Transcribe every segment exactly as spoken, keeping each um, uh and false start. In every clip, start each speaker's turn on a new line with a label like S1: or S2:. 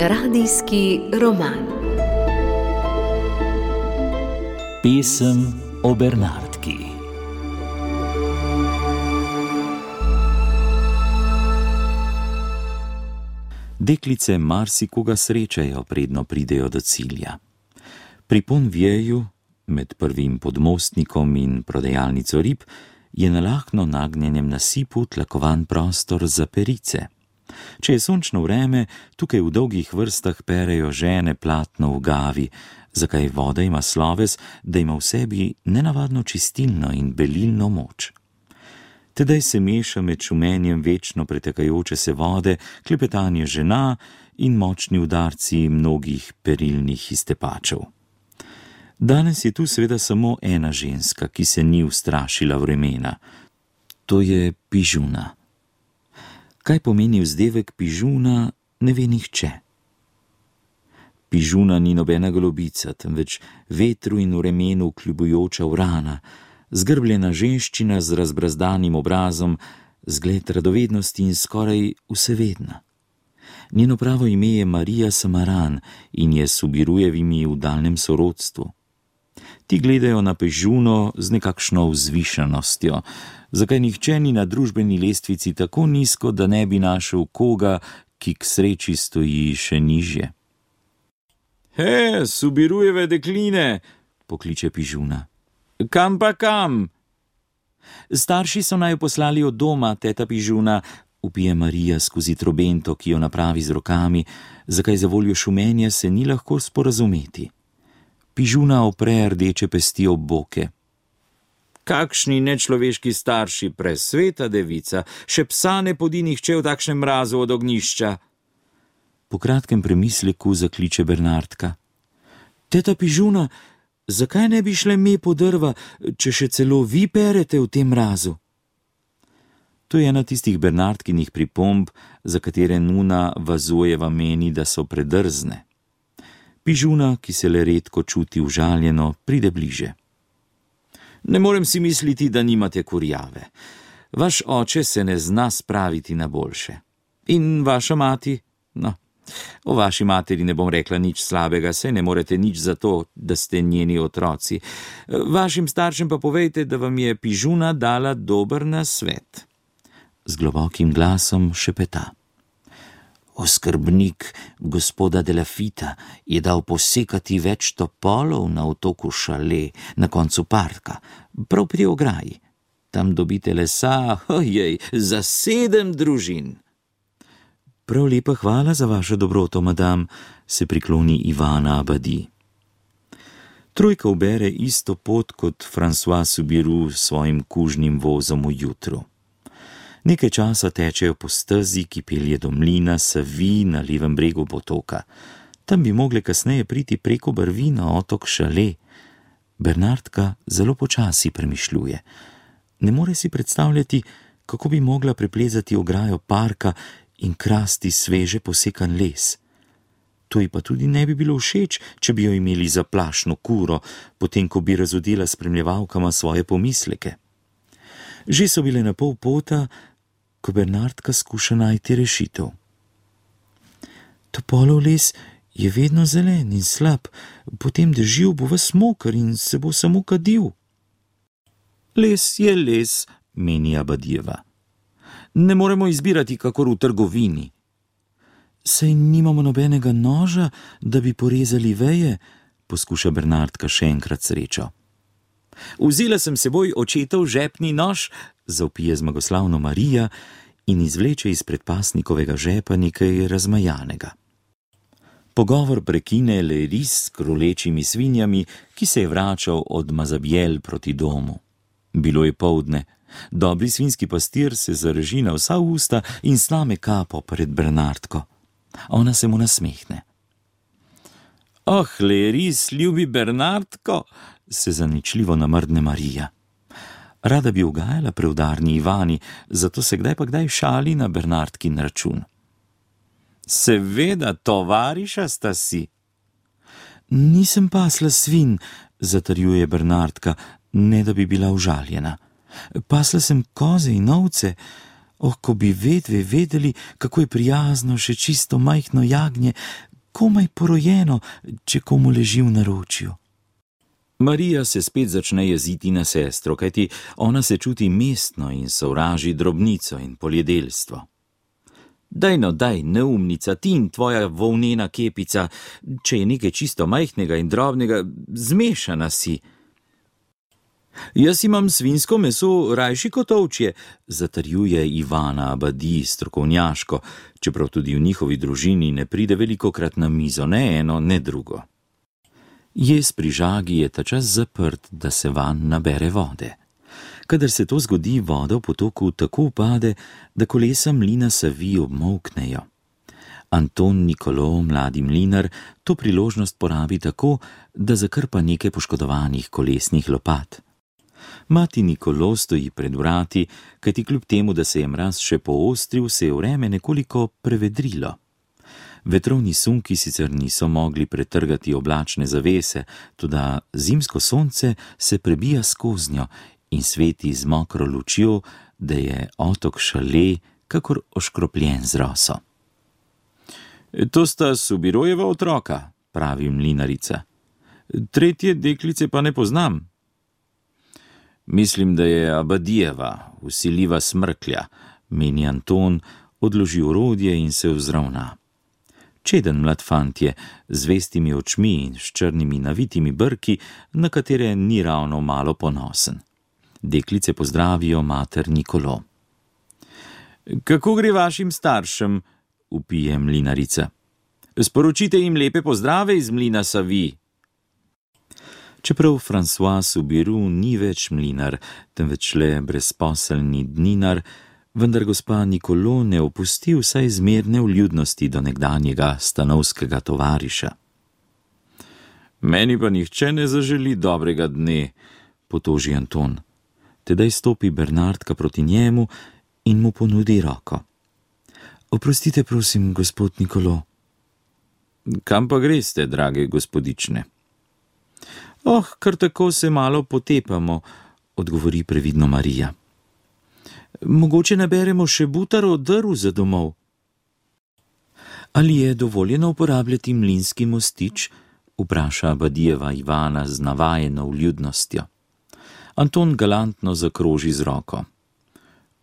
S1: Radijski roman.
S2: Pesem o Bernardki. Deklice marsikoga srečajo, predno pridejo do cilja. Pri Ponvjeju, med prvim podmostnikom in prodajalnico rib, je na lahno nagnjenem nasipu tlakovan prostor za perice. Če je sončno vreme, tukaj v dolgih vrstah perejo žene platno v gavi, zakaj voda ima sloves, da ima v sebi nenavadno čistilno in belilno moč. Tedaj se meša med šumenjem večno pretekajoče se vode, klepetanje žena in močni udarci mnogih perilnih iztepačev. Danes je tu seveda samo ena ženska, ki se ni ustrašila vremena. To je Pižuna. Kaj pomeni vzdevek Pižuna, ne ve nihče. Pižuna ni nobena golobica, temveč vetru in vremenu kljubujoča vrana, zgrbljena ženščina z razbrazdanim obrazom, zgled radovednosti in skoraj vsevedna. Njeno pravo ime je Marija Samaran in je s Subirujevimi v daljnem sorodstvu. Ti gledajo na Pižuno z nekakšno vzvišenostjo, zakaj nihče ni na družbeni lestvici tako nizko, da ne bi našel koga, ki k sreči stoji še nižje.
S3: He, Subirujeve dekline,
S2: pokliče Pižuna.
S3: Kam pa kam?
S2: Starši so naju poslali od doma, teta Pižuna, vpije Marija skozi trobento, ki jo napravi z rokami, zakaj za voljo šumenja se ni lahko sporazumeti. Pižuna opre rdeče pesti ob boke.
S3: Kakšni nečloveški starši, presveta devica, še psa ne podi nihče v takšnem mrazu od ognjišča.
S2: Po kratkem premisleku zakliče Bernardka. Teta Pižuna, zakaj ne bi šle me po drva, če še celo vi perete v tem mrazu? To je ena tistih Bernardkinih pripomb, za katere nuna Vazujeva meni, da so predrzne. Pižuna, ki se le redko čuti užaljeno, pride bliže.
S3: Ne morem si misliti, da nimate kurjave. Vaš oče se ne zna spraviti na boljše. In vaša mati? No, o vaši materi ne bom rekla nič slabega, saj ne morete nič za to, da ste njeni otroci. Vašim staršem pa povejte, da vam je Pižuna dala dober nasvet.
S2: Z globokim glasom šepeta. Oskrbnik gospoda de la Fita je dal posekati več topolov na otoku Šale, na koncu parka, prav pri ograji. Tam dobite lesa, ojej, za sedem družin. Prav lepa hvala za vašo dobroto, madam, se prikloni Ivana Abadi. Trojka ubere isto pot kot François Subiru s svojim kužnim vozom v jutru. Nekaj časa tečejo po stezi, ki pelje do mlina Savi na levem bregu potoka. Tam bi mogle kasneje priti preko brvi na otok Šale. Bernardka zelo počasi premišljuje. Ne more si predstavljati, kako bi mogla preplezati ograjo parka in krasti sveže posekan les. To ji pa tudi ne bi bilo všeč, če bi jo imeli za plašno kuro, potem ko bi razodela spremljevalkama svoje pomisleke. Že so bile na pol pota, ko Bernardka skuša najti rešitev. Topolov les je vedno zelen in slab, potem dežil bo ves moker in se bo samo kadil.
S3: Les je les, meni Abadijeva. Ne moremo izbirati kakor v trgovini.
S2: Saj nimamo nobenega noža, da bi porezali veje, poskuša Bernardka še enkrat srečo.
S3: Vzela sem seboj očetov žepni nož, zavpije zmagoslavno Marija in izvleče iz predpasnikovega žepa nekaj razmajanega.
S2: Pogovor prekine Leiris s krolečimi svinjami, ki se je vračal od Mazabjel proti domu. Bilo je poldne. Dobri svinski pastir se zareži na vsa usta in sname kapo pred Bernardko. Ona se mu nasmehne.
S3: Oh, Leiris, ljubi Bernardko, se zaničljivo namrdne Marija.
S2: Rada bi ugajala preudarni Ivani, zato se kdaj pa kdaj šali na Bernardkin račun.
S3: Seveda, tovariša sta si.
S2: Nisem pasla svin, zatrjuje Bernardka, ne da bi bila užaljena.
S3: Pasla sem koze in ovce. Oh, ko bi vedve vedeli, kako je prijazno še čisto majhno jagnje, komaj porojeno, če komu leži v naročju. Marija se spet začne jeziti na sestro, kajti ona se čuti mestno in sovraži drobnico in poljedelstvo. Daj no, daj, neumnica, ti in tvoja volnena kepica, če je nekaj čisto majhnega in drobnega, zmešana si. Jaz imam svinjsko meso rajši kot ovčje, zatrjuje Ivana Abadi strokovnjaško, čeprav tudi v njihovi družini ne pride velikokrat na mizo, ne eno, ne drugo. Jez pri žagi je ta čas zaprt, da se vanj nabere vode. Kadar se to zgodi, voda v potoku tako upade, da kolesa mlina Savi obmolknejo. Anton Nikolo, mladi mlinar, to priložnost porabi tako, da zakrpa nekaj poškodovanih kolesnih lopat. Mati Nikolo stoji pred vrati, kajti kljub temu, da se je mraz še poostril, se je vreme nekoliko prevedrilo. Vetrovni sunki sicer niso mogli pretrgati oblačne zavese, toda zimsko sonce se prebija skoznjo in sveti z mokro lučjo, da je otok Šale kakor oškropljen z roso. To sta Subirojeva otroka, pravi mlinarica. Tretje deklice pa ne poznam. Mislim, da je Abadijeva, vsiljiva smrklja, meni Anton, odloži orodje in se vzravna. Čeden mlad fantje, z vestimi očmi in s črnimi navitimi brki, na katere ni ravno malo ponosen. Deklice pozdravijo mater Nikolo. Kako gre vašim staršem? Vpije mlinarica. Sporočite jim lepe pozdrave iz mlina Savi. Čeprav François Subiru ni več mlinar, temveč le brezposelni dninar, vendar gospa Nikolo ne opusti vsaj zmerne vljudnosti do nekdanjega stanovskega tovariša. Meni pa nihče ne zaželi dobrega dne, potoži Anton. Tedaj stopi Bernardka proti njemu in mu ponudi roko. Oprostite, prosim, gospod Nikolo. Kam pa greste, drage gospodične? Oh, kar tako se malo potepamo, odgovori previdno Marija. Mogoče naberemo še butaro drv za domov. Ali je dovoljeno uporabljati mlinski mostič? Vpraša Abadijeva Ivana z navajeno vljudnostjo. Anton galantno zakroži z roko.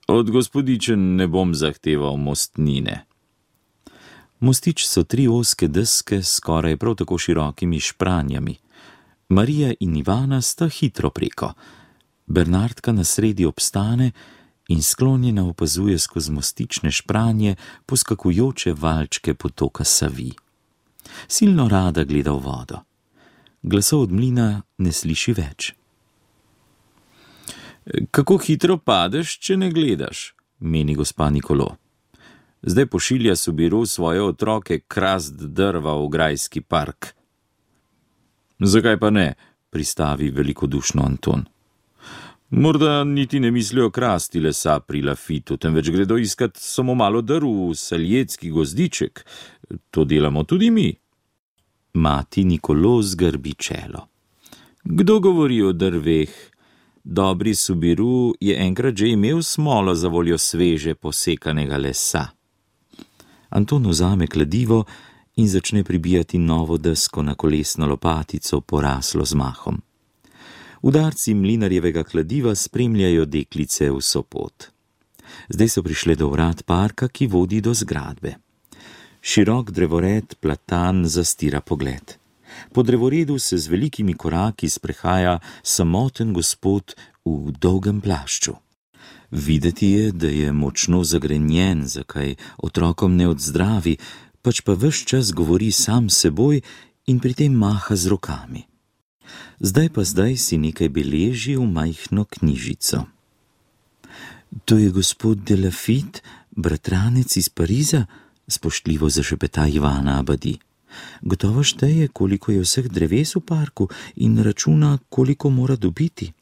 S3: Od gospodičen ne bom zahteval mostnine. Mostič so tri ozke deske s skoraj prav tako širokimi špranjami. Marija in Ivana sta hitro preko. Bernardka na sredi obstane in sklonjena opazuje skozi mostične špranje poskakujoče valčke potoka Savi. Silno rada gleda v vodo. Glasov od mlina ne sliši več. Kako hitro padeš, če ne gledaš, meni gospa Nikolo. Zdaj pošilja Subiru svoje otroke krast drva v grajski park. Zakaj pa ne, pristavi velikodušno Anton. Morda niti ne mislijo krasti lesa pri Lafitu, temveč gredo iskat samo malo drv v saljetski gozdiček. To delamo tudi mi. Mati Nikolo zgrbi čelo. Kdo govori o drveh? Dobri Subiru je enkrat že imel smolo za voljo sveže posekanega lesa. Anton vzame kladivo in začne pribijati novo desko na kolesno lopatico, poraslo z mahom. Udarci mlinarjevega kladiva spremljajo deklice vso pot. Zdaj so prišle do vrat parka, ki vodi do zgradbe. Širok drevored platan zastira pogled. Po drevoredu se z velikimi koraki sprehaja samoten gospod v dolgem plašču. Videti je, da je močno zagrenjen, zakaj otrokom ne odzdravi, pač pa ves čas govori sam s seboj in pri tem maha z rokami. Zdaj pa zdaj si nekaj beleži v majhno knjižico. To je gospod de Lafitte, bratranec iz Pariza, spoštljivo zašepeta Ivana Abadi. Gotovo šteje, koliko je vseh dreves v parku in računa, koliko mora dobiti.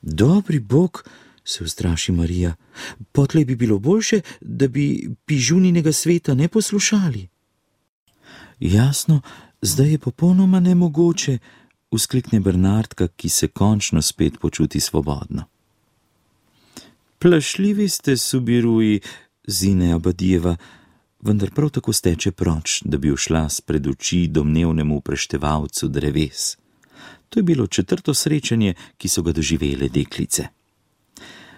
S3: Dobri Bog, se ustraši Marija, potlej bi bilo boljše, da bi pižuninega sveta ne poslušali. Jasno, zdaj je popolnoma nemogoče, vzklikne Bernardka, ki se končno spet počuti svobodno. Plašljivi ste, Subiruji, zine Abadijeva, vendar prav tako steče proč, da bi ušla spred oči domnevnemu preštevalcu dreves. To je bilo četrto srečanje, ki so ga doživele deklice.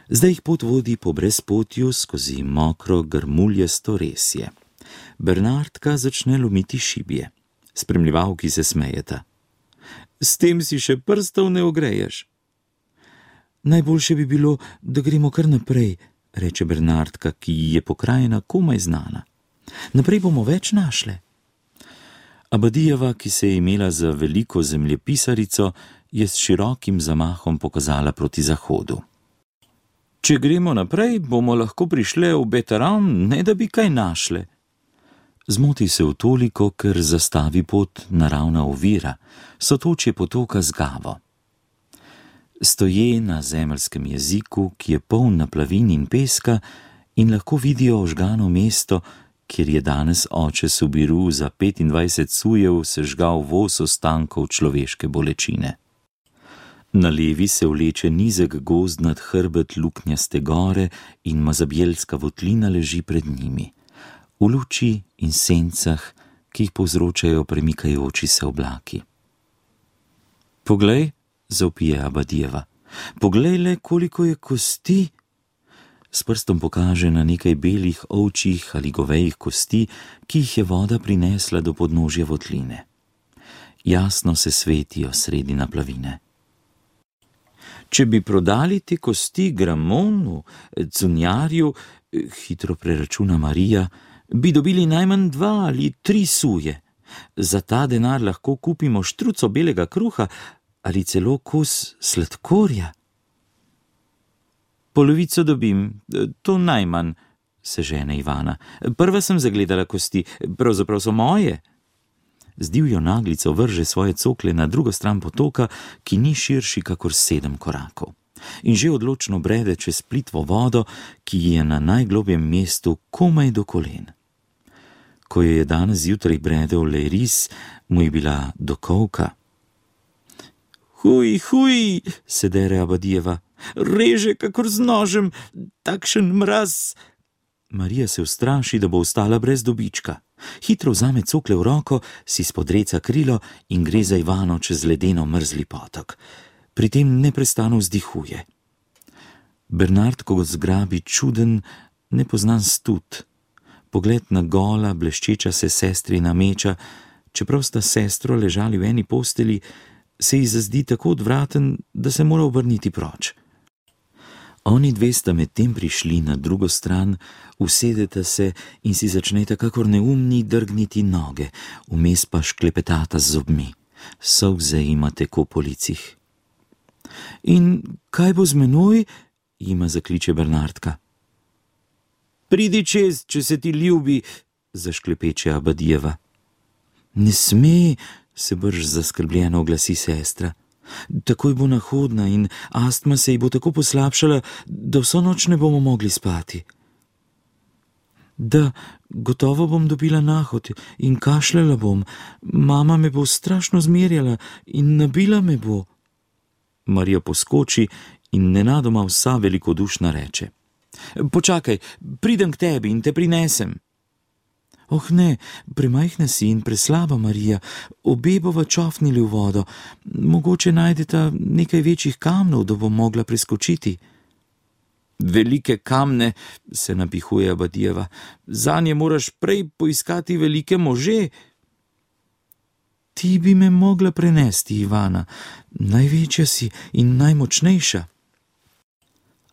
S3: Zdaj jih pot vodi po brezpotju skozi mokro grmuljasto resje. Bernardka začne lomiti šibje. Spremljevalki se smejeta. S tem si še prstov ne ogreješ. Najboljše bi bilo, da gremo kar naprej, reče Bernardka, ki ji je pokrajina komaj znana. Naprej bomo več našle. Abadijeva, ki se je imela za veliko zemljepisarico, je s širokim zamahom pokazala proti zahodu. Če gremo naprej, bomo lahko prišle v Beteran, ne da bi kaj našle. Zmoti se v toliko, ker zastavi pot naravna ovira, sotočje potoka z Gavo. Stoje na zemeljskem jeziku, ki je poln naplavin in peska, in lahko vidijo ožgano mesto, kjer je danes oče Subiru za petindvajset sujev sežgal voz ostankov človeške bolečine. Na levi se vleče nizek gozd nad hrbet luknjaste gore in mazabjelska votlina leži pred njimi, v luči in sencah, ki jih povzročajo premikajoči se oblaki. Poglej, zavpije Abadijeva, poglej le, koliko je kosti. S prstom pokaže na nekaj belih ovčjih ali govejih kosti, ki jih je voda prinesla do podnožja votline. Jasno se svetijo sredi naplavine. Če bi prodali te kosti Gramonu, cunjarju, hitro preračuna Marija, bi dobili najmanj dva ali tri suje. Za ta denar lahko kupimo štruco belega kruha ali celo kos sladkorja. Polovico dobim, to najmanj, se žene Ivana. Prva sem zagledala kosti, pravzaprav so moje. Z divjo naglico vrže svoje cokle na drugo stran potoka, ki ni širši kakor sedem korakov. In že odločno brede čez plitvo vodo, ki je na najglobjem mestu komaj do kolen. Ko je danes zjutraj bredel le ris, mu je bila do kolka. Huj, huj, se dere Abadijeva, reže kakor z nožem, takšen mraz. Marija se ustraši, da bo ostala brez dobička. Hitro vzame cokle v roko, si spodreca krilo in gre za Ivano čez ledeno mrzli potok. Pri tem neprestano vzdihuje. Bernard, ko ga zgrabi čuden, nepoznan stud. Pogled na gola, bleščeča se sestrina meča, čeprav sta sestro ležali v eni posteli, se ji zazdi tako odvraten, da se mora obrniti proč. Oni dve sta medtem prišli na drugo stran, usedeta se in si začneta kakor neumni drgniti noge, vmes pa šklepetata z zobmi. Solze ima teko po licih. In kaj bo z menoj? Jima zakliče Bernardka. Pridi čez, če se ti ljubi, zašklepeče Abadijeva. Ne sme, se brž zaskrbljeno oglasi sestra. Takoj bo nahodna in astma se ji bo tako poslabšala, da vso noč ne bomo mogli spati. Da, gotovo bom dobila nahod in kašljala bom. Mama me bo strašno zmerjala in nabila me bo. Marija poskoči in nenadoma vsa velikodušna reče. Počakaj, pridem k tebi in te prinesem. Oh ne, premajhna si in preslaba, Marija, obe bova čofnili v vodo. Mogoče najdeta nekaj večjih kamnov, da bom mogla preskočiti. Velike kamne, se napihuje Abadijeva, zanje moraš prej poiskati velike može. Ti bi me mogla prenesti, Ivana, največja si in najmočnejša.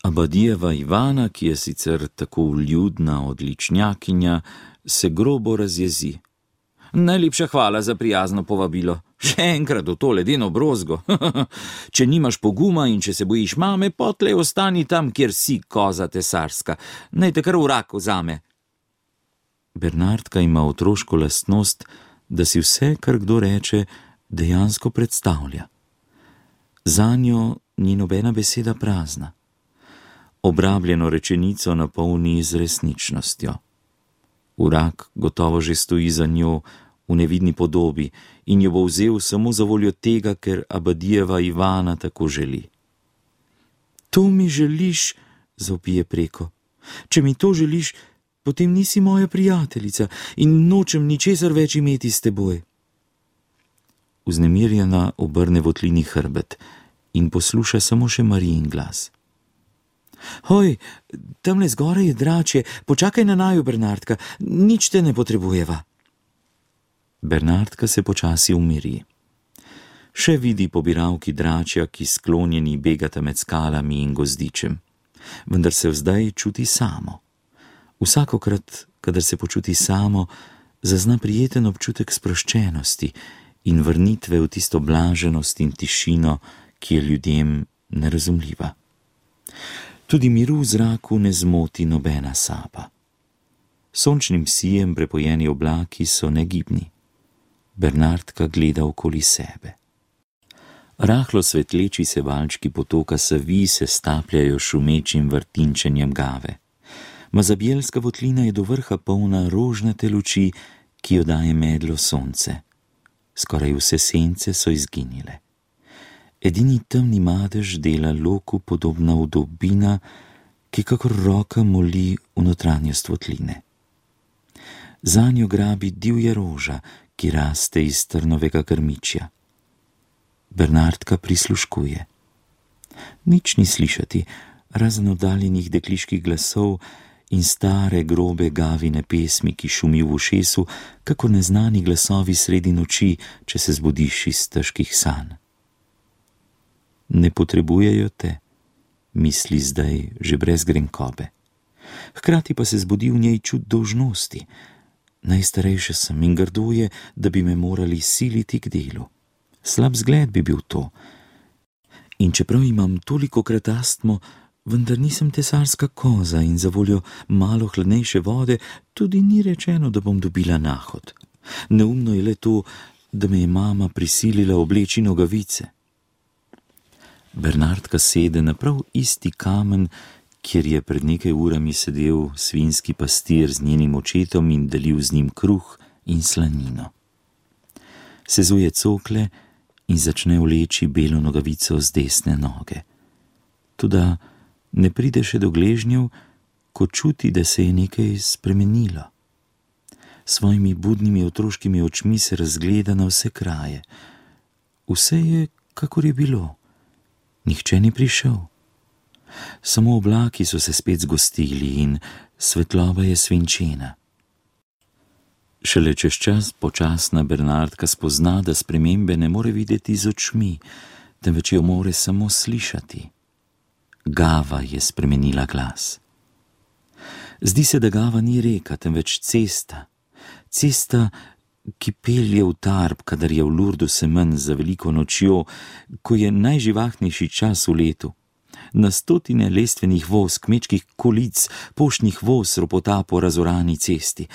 S3: Abadijeva Ivana, ki je sicer tako vljudna odličnjakinja, se grobo razjezi. Najlepša hvala za prijazno povabilo. Še enkrat v to ledeno brozgo. Če nimaš poguma in če se bojiš mame, potlej ostani tam, kjer si, koza tesarska. Naj te kar v rak vzame. Bernardka ima otroško lastnost, da si vse, kar kdo reče, dejansko predstavlja. Zanjo ni nobena beseda prazna. Obrabljeno rečenico napolni z resničnostjo. Vrak gotovo že stoji za njo v nevidni podobi in jo bo vzel samo za voljo tega, ker Abadijeva Ivana tako želi. To mi želiš, zavpije preko. Če mi to želiš, potem nisi moja prijateljica in nočem ničesar več imeti s teboj. Vznemirjena obrne votlini hrbet in posluša samo še Marijin glas. Hoj, tamle zgoraj je dračje, počakaj na naju, Bernardka, nič te ne potrebujeva. Bernardka se počasi umiri. Še vidi pobiralki dračja, ki sklonjeni begata med skalami in gozdičem, vendar se zdaj čuti samo. Vsakokrat, kadar se počuti samo, zazna prijeten občutek sproščenosti in vrnitve v tisto blaženost in tišino, ki je ljudem nerazumljiva. Tudi miru v zraku ne zmoti nobena sapa. Sončnim sijem prepojeni oblaki so negibni. Bernardka gleda okoli sebe. Rahlo svetleči se valčki potoka Savi se stapljajo šumečim vrtinčenjem gave. Mazabjelska votlina je do vrha polna rožnate luči, ki jo daje medlo sonce. Skoraj vse sence so izginile. Edini temni madež dela loku podobna vdolbina, ki kakor roka moli v notranjost votline. Zanjo grabi divja roža, ki raste iz trnovega grmičja. Bernardka prisluškuje. Nič ni slišati, razen oddaljenih dekliških glasov in stare grobe gavine pesmi, ki šumi v ušesu, kakor neznani glasovi sredi noči, če se zbudiš iz težkih sanj. Ne potrebujejo te, misli zdaj že brez grenkobe. Hkrati pa se zbudi v njej čut dolžnosti. Najstarejša sem in grdo je, da bi me morali siliti k delu. Slab zgled bi bil to. In čeprav imam tolikokrat astmo, vendar nisem tesarska koza in za voljo malo hladnejše vode tudi ni rečeno, da bom dobila nahod. Neumno je le to, da me je mama prisilila obleči nogavice. Bernardka sede na prav isti kamen, kjer je pred nekaj urami sedel svinjski pastir z njenim očetom in delil z njim kruh in slanino. Sezuje cokle in začne vleči belo nogavico z desne noge. Toda ne pride še do gležnjev, ko čuti, da se je nekaj spremenilo. Svojimi budnimi otroškimi očmi se razgleda na vse kraje. Vse je, kakor je bilo. Nihče ni prišel. Samo oblaki so se spet zgostili in svetloba je svinčena. Šele čez čas počasna Bernardka spozna, da spremembe ne more videti z očmi, temveč jo more samo slišati. Gava je spremenila glas. Zdi se, da Gava ni reka, temveč cesta. Cesta, ki pelje v Tarb, kadar je v Lurdu semen za veliko nočjo, ko je najživahnejši čas v letu. Na stotine lestvenih voz, kmečkih kolic, poštnih voz ropota po razorani cesti.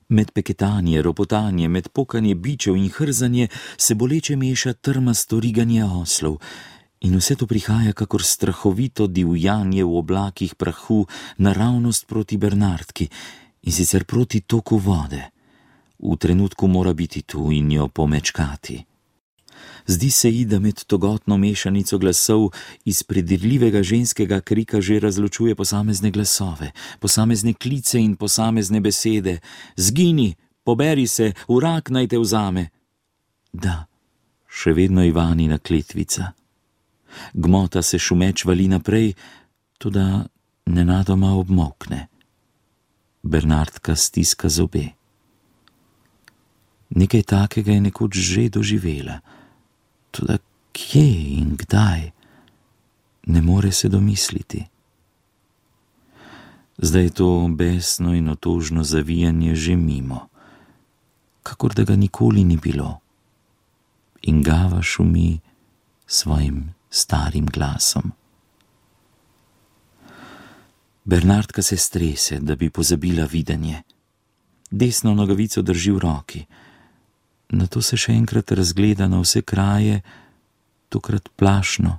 S3: Med peketanje, ropotanje, med pokanje bičev in hrzanje se boleče meša trmasto riganje oslov. In vse to prihaja kakor strahovito divjanje v oblakih prahu naravnost proti Bernardki in sicer proti toku vode. V trenutku mora biti tu in jo pomečkati. Zdi se ji, da med togotno mešanico glasov iz predirljivega ženskega krika že razločuje posamezne glasove, posamezne klice in posamezne besede. Zgini, poberi se, vrak naj te vzame. Da, še vedno Ivanina kletvica. Gmota se šumeč vali naprej, toda nenadoma obmokne. Bernardka stiska zobe. Nekaj takega je nekoč že doživela. Toda kje in kdaj, ne more se domisliti. Zdaj je to besno in otožno zavijanje že mimo, kakor da ga nikoli ni bilo. In Gava šumi svojim starim glasom. Bernardka se strese, da bi pozabila videnje. Desno nogavico drži v roki. Nato se še enkrat razgleda na vse kraje, tokrat plašno.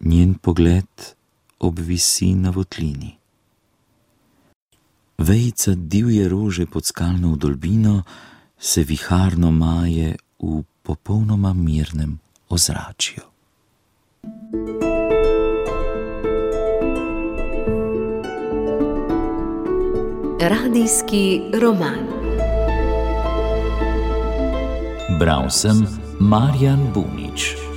S3: Njen pogled obvisi na votlini. Vejica divje rože pod skalno vdolbino se viharno maje v popolnoma mirnem ozračju.
S1: Radijski roman.
S4: Bral sem Marjan Bunič.